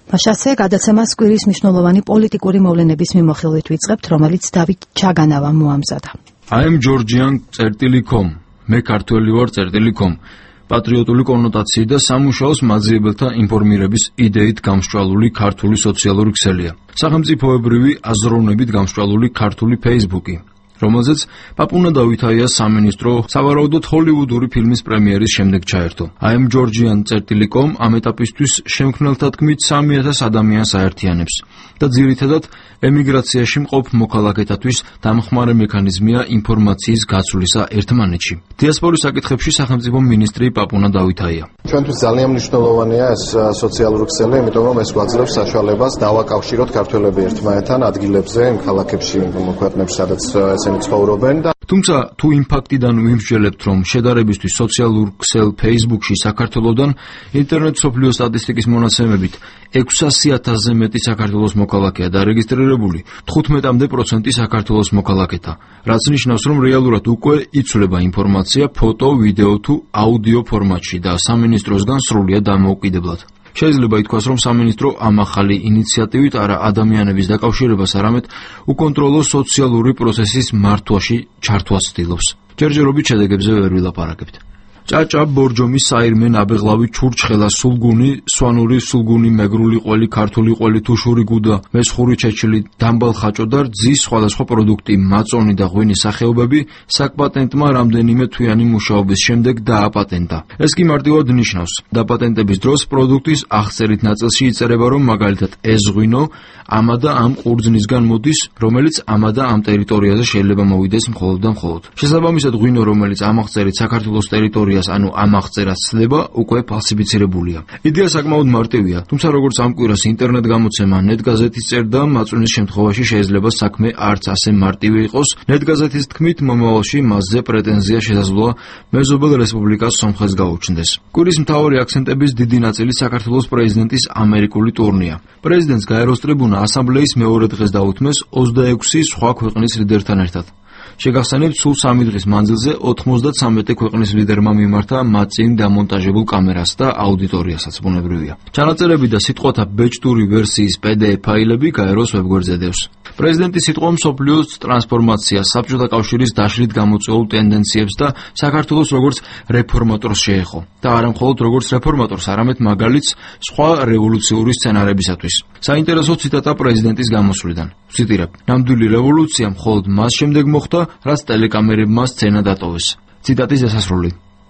მაშასე გადაცემას კვირის მნიშვნელოვანი პოლიტიკური მოვლენების მიმოხილვით ვიწყებთ, რომელიც დავით ჩაგანავამ მოამზადა. I am Georgian.com, მე ქართველი ვარ .com. პატრიოტული კონოტაციი და სამუშაოს მაძიებელთა ინფორმირების იდეით გამსჭვალული ქართული სოციალური ქსელია. სახელმწიფოებრივი აზროვნებით გამსჭვალული ქართული Facebook-ი, რომელზეც პაპუნა დავითაიას სამინისტრო სავარაუდოდ ჰოლივუდური ფილმის პრემიერის შემდეგ ჩაერთო. I am Georgian.com ამ ეტაპისთვის შემქმნელთა თქმით 3000 ადამიანს აერთიანებს და ძირითადად ემიგრაციაში მყოფ მოქალაქეთათვის დამხმარე მექანიზმია ინფორმაციის გაცვლისა ერთმანეთში. დიასპორის საკითხებში სახელმწიფო მინისტრი პაპუნა დავითაია. ჩვენთვის ძალიან მნიშვნელოვანია ეს სოციალური ქსელი, იმიტომ რომ ეს გვაძლევს საშუალებას დავაკავშიროთ ქართველები ერთმანეთთან ადგილებზე, იმ ქალაქებში, ქვეყნებში, სადაც ესენი ცხოვრობენ და თუმცა თუ იმ ფაქტიდან ვიმსჯელებთ, რომ შედარებისთვის სოციალურ ქსელ Facebook-ში საქართველოსდან ინტერნეტ სოფლიო სტატისტიკის მონაცემებით 600,000-ზე მეტი საქართველოს მოქალაქეა დარეგისტრირებული, 15% საქართველოს მოქალაქეთა, რაც ნიშნავს, რომ რეალურად უკვე იცვლება ინფორმაცია ფოტო, ვიდეო თუ აუდიო ფორმატში და სამინისტროსგან სრულიად დამოუკიდებლად. შეიძლება ითქვას, რომ სამინისტრო ამ ახალი ინიციატივით არა ადამიანების დაკავშირებას, არამედ უკონტროლო სოციალური პროცესის მართვაში ჩართვას ცდილობს. ჯერჯერობით შედეგებზე ვერ ვილაპარაკებთ. ჭაჭა, ბორჯომი, საირმე, ნაბეღლავი, ჩურჩხელა, სულგუნი, სვანური, სულგუნი, მეგრული ყველი, ქართული ყველი, თუშური გუდა, მესხური ჩეჩილი, დამბალ ხაჭო და რძის სხვადასხვა პროდუქტი, მაწონი და ღვინის სახეობები საკპატენტმა რამდენიმე თვიანი მუშაობის შემდეგ დააპატენტა. ეს კი მარტივად ნიშნავს, დაპატენტების დროს პროდუქტის აღწერით ნაწილში იწერება, რომ მაგალითად ეს ღვინო ამა და ამ ყურძნისგან მოდის, რომელიც ამა და ამ ტერიტორიაზე შეიძლება მოვიდეს მხოლოდ და მხოლოდ. შესაბამისად, ღვინო, რომელიც ამ აღწერით საქართველოს ტერიტორიაზე ანუ ამ აღწერას ცდება, უკვე ფალსიფიცირებულია. იდეა საკმაოდ მარტივია, თუმცა როგორც ამ კვირას ინტერნეტ გამოცემა ნეტგაზეთის წერდა, მაწვნის შემთხვევაში შეიძლება საქმე არც ასე მარტივი იყოს. ნეტგაზეთის თქმით, მომავალში მასზე პრეტენზია შესაძლოა მეზობელ რესპუბლიკას სომხეთს გაუჩნდეს. კვირის მთავარი აქცენტების დიდი ნაწილი საქართველოს პრეზიდენტის ამერიკული ტურნეა. პრეზიდენტს გაეროს ტრიბუნა ასამბლეის მეორე დღეს დაუთმეს 26 სხვა ქვეყნის ლიდერთან ერთად. შეგახსენებთ, სულ 3 დღის მანძილზე 93 ქვეყნის ლიდერმა მიმართა მათ წინ დამონტაჟებულ კამერას და აუდიტორიასაც ბუნებრივია. ჩანაწერები და სიტყვათა ბეჭდური ვერსიის PDF ფაილები გაეროს ვებგვერდზე დევს. პრეზიდენტის სიტყვა მსოფლიოს ტრანსფორმაციას, საბჭოთა კავშირის დაშლით გამოწვეულ ტენდენციებს და საქართველოს როგორც რეფორმატორს შეეხო. და არა მხოლოდ როგორც რეფორმატორს, არამედ მაგალითს სხვა რევოლუციური სცენარებისათვის. საინტერესო ციტატა პრეზიდენტის გამოსვლიდან. ვციტირებ: ნამდვილი რევოლუცია მხოლოდ მას შემდეგ მოხდა, რაც ტელეკამერებმა სცენა დატოვეს. ციტატის დასასრული.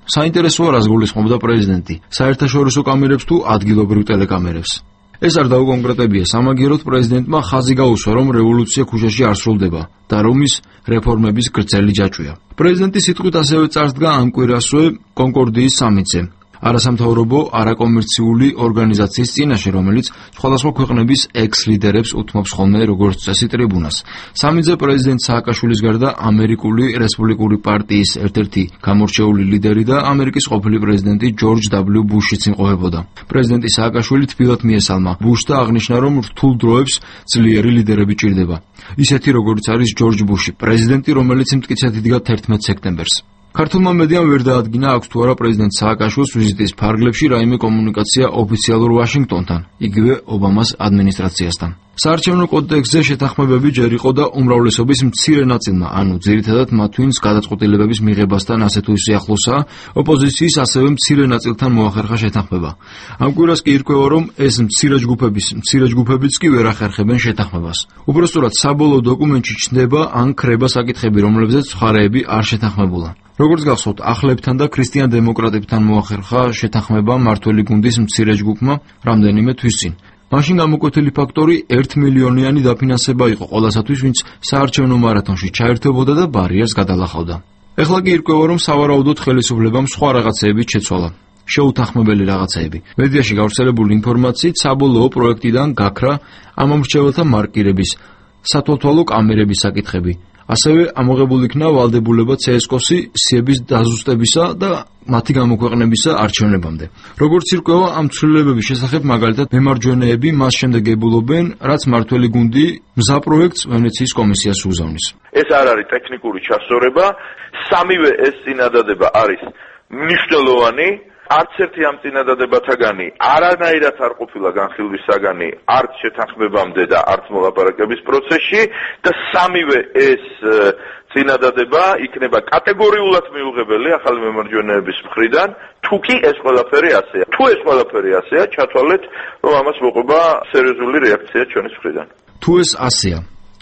საინტერესოა, რას გულისხმობდა პრეზიდენტი, საერთაშორისო კამერებს თუ ადგილობრივ ტელეკამერებს. ეს არ დაუკონკრეტებია, სამაგიეროდ პრეზიდენტმა ხაზი გაუსვა, რომ რევოლუცია ქუჩაში არ სრულდება და რომ ის რეფორმების გრძელი ჯაჭვია. პრეზიდენტის სიტყვით ასევე წარსდგა ამ კვირასვე კონკორდიის სამიტზე. არასამთავრობო, არაკომერციული ორგანიზაციის წინაშე, რომელიც სხვადასხვა ქვეყნების ექს-ლიდერებს უთმობს ხოლმე როგორც წესი ტრიბუნას. სამიტზე პრეზიდენტ სააკაშვილის გარდა ამერიკული რესპუბლიკური პარტიის ერთ-ერთი გამორჩეული ლიდერი და ამერიკის ყოფილი პრეზიდენტი ჯორჯ W. ბუშიც იმყოფებოდა. პრეზიდენტი სააკაშვილი თბილად მიესალმა ბუშს და აღნიშნა, რომ რთულ დროებს ძლიერი ლიდერები ჭირდება. ისეთი როგორც არის ჯორჯ ბუში, პრეზიდენტი, რომელიც მტკიცედ იდგა 11 სექტემბერს. ქართულმა მედიამ ვერ დაადგინა, აქვს თუ არა პრეზიდენტ სააკაშვილის ვიზიტის ფარგლებში რაიმე კომუნიკაცია ოფიციალურ ვაშინგტონთან, იგივე ობამას ადმინისტრაციასთან. საარჩევნო კოდექსზე შეთანხმებები ჯერ იყო და უმრავლესობის მცირე ნაწილმა, ანუ ძირითადად მათ ვინც გადაწყვეტილებების მიღებასთან ასე თუ ისე ახლოსაა, ოპოზიციის ასევე მცირე ნაწილთან მოახერხა შეთანხმება. ამ კვირას კი ირკვევა, რომ ეს მცირე ჯგუფებიც კი ვერ ახერხებენ შეთანხმებას. უпростоრად საბოლოო დოკუმენტში ჩნდება ან ქრება საკითხები, რომლებზეც მხარეები არ შეთანხმებულა. როგორც გახსოვთ, ახლებთან და ქრისტიან-დემოკრატებთან მოახერხა შეთანხმება მართველი გუნდის მცირე ჯგუფმა რამდენიმე თვის წინ. მაშინ გამოკვეთილი ფაქტორი 1 მილიონიანი დაფინანსება იყო ყველასათვის, ვინც საარჩევნო მარათონში ჩაერთვებოდა და ბარიერს გადალახავდა. ეხლა კი ირკვევა, რომ სავარაუდოდ ხელისუფლებამ სხვა რაღაცეებით შეცვალა. შეუთანხმებელი რაღაცეები. მედიაში გავრცელებული ინფორმაციით საბოლოო პროექტიდან გაქრა ამომრჩეველთა მარკირების, სათვალთვალო კამერების საკითხები. ასევე ამოღებული იქნა ვალდებულება CSKOS-ი სიების დაზუსტებისა და მათი გამოქვეყნებისა არჩევნებამდე. როგორც ირკვევა, ამ ცვლილებების შესახებ მაგალითად მემარჯვენეები მას შემდეგ ებულობენ, რაც მართველი გუნდი მზა პროექტს ვენეციის კომისიას უგზავნის. ეს არ არის ტექნიკური ჩასწორება, სამივე ეს წინადადება არის მნიშვნელოვანი, არც ერთი ამ წინადადებათაგანი არანაირად არ ყოფილა განხილვის საგანი არც შეთანხმებამდე და არც მოლაპარაკების პროცესში და სამივე ეს წინადადება იქნება კატეგორიულად მიუღებელი ახალი მემარჯვენეების მხრიდან, თუ კი ეს ყველაფერი ასეა. თუ ეს ყველაფერი ასეა, ჩათვალეთ, რომ ამას მოყვება სერიოზული რეაქცია ჩვენის მხრიდან. თუ ეს ასეა,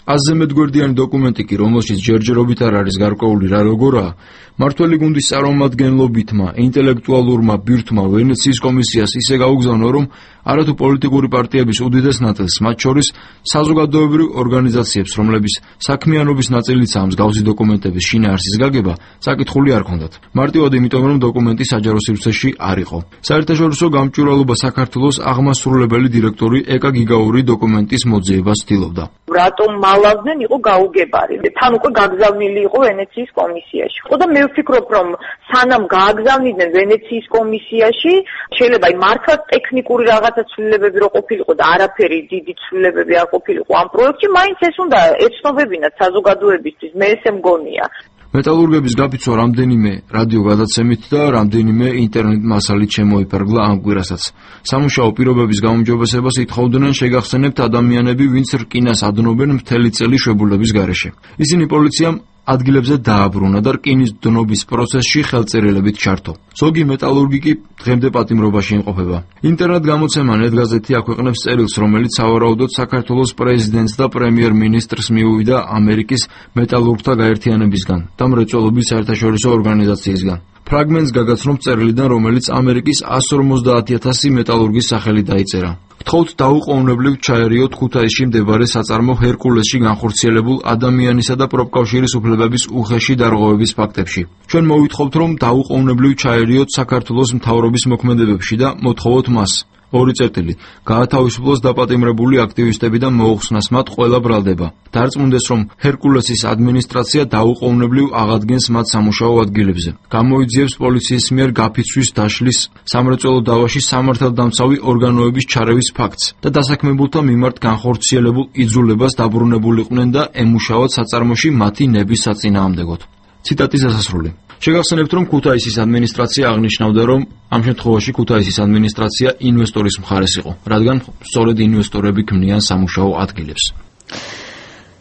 აზზე მეტგვერდიანი დოკუმენტი კი, რომელშიც ჯერჯერობით არ არის გარკვეული რა როგორაა, მართველი გუნდის წარმომადგენლობითმა, ინტელექტუალურმა ბირთვმა ვენეციის კომისიას ისე გაუგზავნა, რომ არათუ პოლიტიკური პარტიების უდიდეს ნაწილს, მათ შორის საზოგადოებრივ ორგანიზაციებს, რომლების საქმიანობის ნაწილიცაა მსგავსი დოკუმენტების შინაარსის გაგება, საკითხული არ ჰქონდათ. მარტივად იმიტომ, რომ დოკუმენტი საჯარო სივრცეში არ იყო. საერთაშორისო გამჭვირვალობა საქართველოს აღმასრულებელი დირექტორი ეკა გიგაური დოკუმენტის მოძიებას ცდილობდა. რატომ მალავდნენ იყო გაუგებარი. თან უკვე გაგზავნილი იყო ვენეციის კომისიაში. ხო და მე ვფიქრობ, რომ სანამ გააგზავნიდნენ ვენეციის კომისიაში, შეიძლება მართლა ტექნიკური რაღაცა ცვლილებები რო ყოფილიყო და არაფერი დიდი ცვლილებები არ ყოფილიყო ამ პროექტში, მაინც ეს უნდა ეცნობებინათ საზოგადოებისთვის, მე ესე მგონია. მეტალურგების გაფიცვა რამდენიმე რადიო გადაცემით და რამდენიმე ინტერნეტ მასალით შემოიფარგლა ამ კვირასაც. სამუშაო პირობების გაუმჯობესებას ითხოვდნენ შეგახსენებთ ადამიანები, ვინც რკინას ადნობენ მთელი წელი შვებულების გარეშე. ისინი პოლიციამ ადგილებზე დააბრუნა და რკინის დნობის პროცესში ხელწერილებით ჩართო. ზოგი მეტალურგი კი დღემდე პატიმრობაში იმყოფება. ინტერნეტ გამოცემა ნეტგაზეთი აქვეყნებს წერილს, რომელიც სავარაუდოდ საქართველოს პრეზიდენტს და პრემიერ-მინისტრს მიუვიდა ამერიკის მეტალურგთა გაერთიანებისგან და მრეწველობის საერთაშორისო ორგანიზაციისგან. ფრაგმენტს გაგაცნობთ წერილიდან, რომელიც ამერიკის 150,000 მეტალურგის სახელით დაიწერა. გთხოვთ დაუყოვნებლივ ჩაერიოთ ქუთაისში მდებარე საწარმო ჰერკულესში განხორციელებულ ადამიანისა და პროფკავშირის უფლებების უხეში დარღვევების ფაქტებში. ჩვენ მოვითხოვთ, რომ დაუყოვნებლივ ჩაერიოთ საქართველოს მთავრობის მოქმედებებში და მოთხოვოთ მას. ორი წერტილი. გაათავისუფლოს დაპატიმრებული აქტივისტები და მოუხსნას მათ ყველა ბრალდება. დარწმუნდეს, რომ ჰერკულესის ადმინისტრაცია დაუყოვნებლივ აღადგენს მათ სამუშაო ადგილებზე. გამოიძიებს პოლიციის მიერ გაფიცვის დაშლის, სამრეწველო დავაში სამართალდამცავი ორგანოების ჩარევის ფაქტს და დასაქმებულთა მიმართ განხორციელებულ იძულებას დაბრუნებულიყვნენ და ემუშავათ საწარმოში მათი ნების საწინააღმდეგოდ. ციტატის დასასრული. შეგახსენებთ, რომ ქუთაისის ადმინისტრაცია აღნიშნავდა, რომ ამ შემთხვევაში ქუთაისის ადმინისტრაცია ინვესტორის მხარეს იყო, რადგან სწორედ ინვესტორები ქმნიან სამუშაო ადგილებს.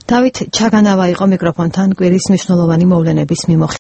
დავით ჩაგანავა იყო მიკროფონთან კვირის მნიშვნელოვანი მოვლენების მიმოხილველი.